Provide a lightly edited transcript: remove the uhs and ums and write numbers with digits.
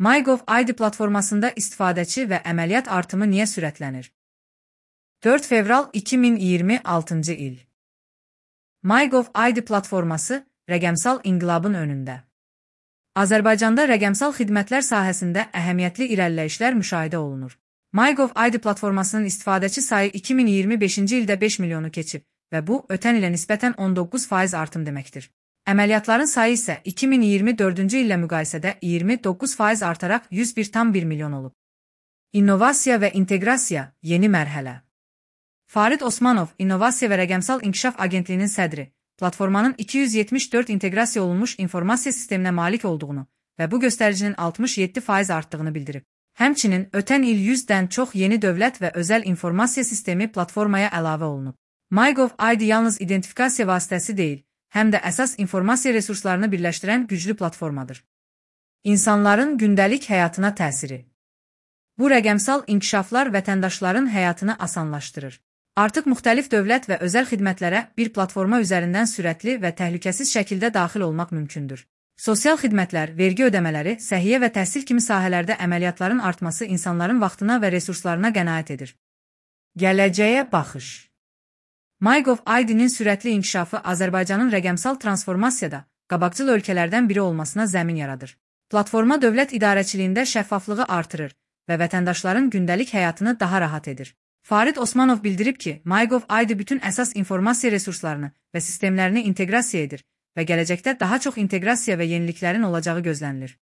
MyGov-ID platformasında istifadəçi və əməliyyat artımı niyə sürətlənir? 4 fevral 2026 il. MyGov-ID platforması rəqəmsal inqilabın önündə. Azərbaycanda rəqəmsal xidmətlər sahəsində əhəmiyyətli irəliləyişlər müşahidə olunur. MyGov-ID platformasının istifadəçi sayı 2025-ci ildə 5 milyonu keçib və bu, ötən ilə nisbətən 19% artım deməkdir. Əməliyyatların sayı isə 2024-cü illə müqayisədə 29% artaraq 101,1 milyon olub. İnnovasiya və inteqrasiya – yeni mərhələ. Farid Osmanov, İnnovasiya və Rəqəmsal İnkişaf Agentliyinin sədri, platformanın 274 inteqrasiya olunmuş informasiya sisteminə malik olduğunu və bu göstəricinin 67% artdığını bildirib. Həmçinin, ötən il 100-dən çox yeni dövlət və özəl informasiya sistemi platformaya əlavə olunub. MyGov-ID yalnız identifikasiya vasitəsi deyil, həm də əsas informasiya resurslarını birləşdirən güclü platformadır. İnsanların gündəlik həyatına təsiri. Bu rəqəmsal inkişaflar vətəndaşların həyatını asanlaşdırır. Artıq müxtəlif dövlət və özəl xidmətlərə bir platforma üzərindən sürətli və təhlükəsiz şəkildə daxil olmaq mümkündür. Sosial xidmətlər, vergi ödəmələri, səhiyyə və təhsil kimi sahələrdə əməliyyatların artması insanların vaxtına və resurslarına qənaət edir. Gələcəyə baxış. MyGov-ID-nin sürətli inkişafı Azərbaycanın rəqəmsal transformasiyada qabaqcıl ölkələrdən biri olmasına zəmin yaradır. Platforma dövlət idarəçiliyində şəffaflığı artırır və vətəndaşların gündəlik həyatını daha rahat edir. Farid Osmanov bildirib ki, MyGov-ID bütün əsas informasiya resurslarını və sistemlərini inteqrasiya edir və gələcəkdə daha çox inteqrasiya və yeniliklərin olacağı gözlənilir.